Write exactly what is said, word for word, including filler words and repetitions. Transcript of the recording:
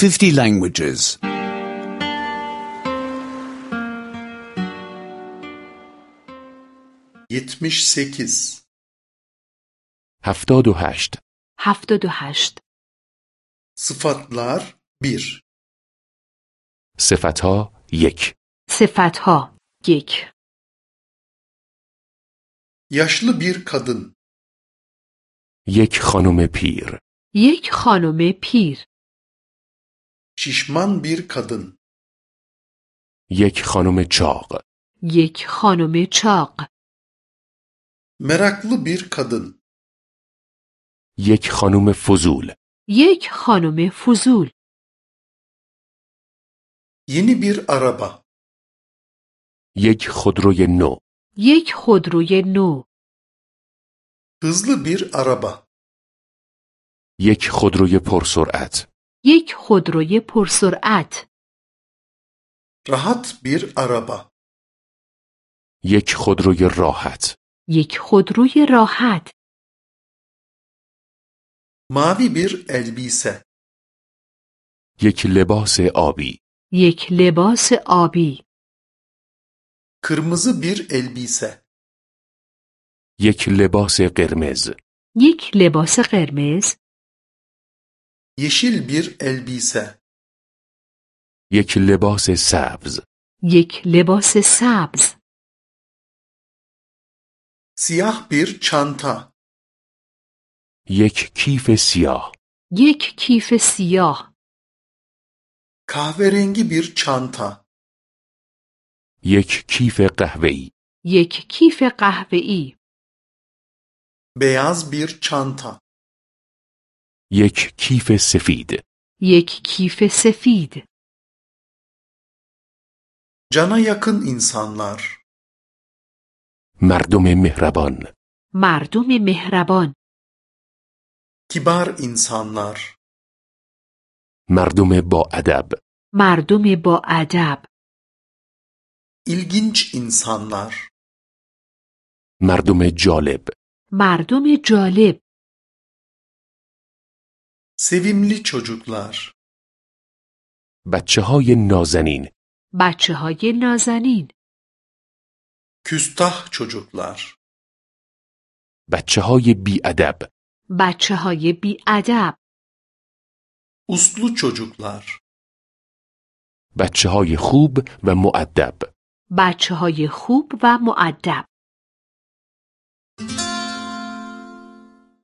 fifty languages. yetmiş sekiz هفتاد و هشت. هفتاد و هشت. Sıfatlar bir. صفتها یک. صفتها یک. Yaşlı bir kadın. یک خانم پیر. یک خانم پیر. Şişman bir kadın. یک خانم چاق. یک خانم چاق. Meraklı bir kadın. یک خانم فضول. یک خانم فضول. Yeni bir araba. یک خودروی نو. یک خودروی نو. Hızlı bir araba. یک خودروی پرسرعت. یک خودروی پرسرعت. Rahat bir araba. یک خودروی راحت. یک خودروی راحت. Mavi bir elbise. یک لباس آبی. یک لباس آبی. Kırmızı bir elbise. یک لباس قرمز. یک لباس قرمز. Yeşil bir elbise. یک لباس سبز. یک لباس سبز. Siyah bir çanta. یک کیف سیاه. یک کیف سیاه. Kahverengi bir çanta. یک کیف قهوه‌ای. یک کیف قهوه‌ای. Beyaz bir çanta. یک کیف سفید. یک کیف سفید. Cana yakın insanlar. مردم مهربان. مردم مهربان. Kibar insanlar. مردم با ادب. مردم با ادب. İlginç insanlar. مردم جالب. مردم جالب. Sevimli çocuklar. بچه های نازنین. بچه های نازنین. Küstah çocuklar. بچه های بی ادب. بچه های بی ادب. Uslu çocuklar. بچه های خوب و مؤدب. بچه های خوب و مؤدب.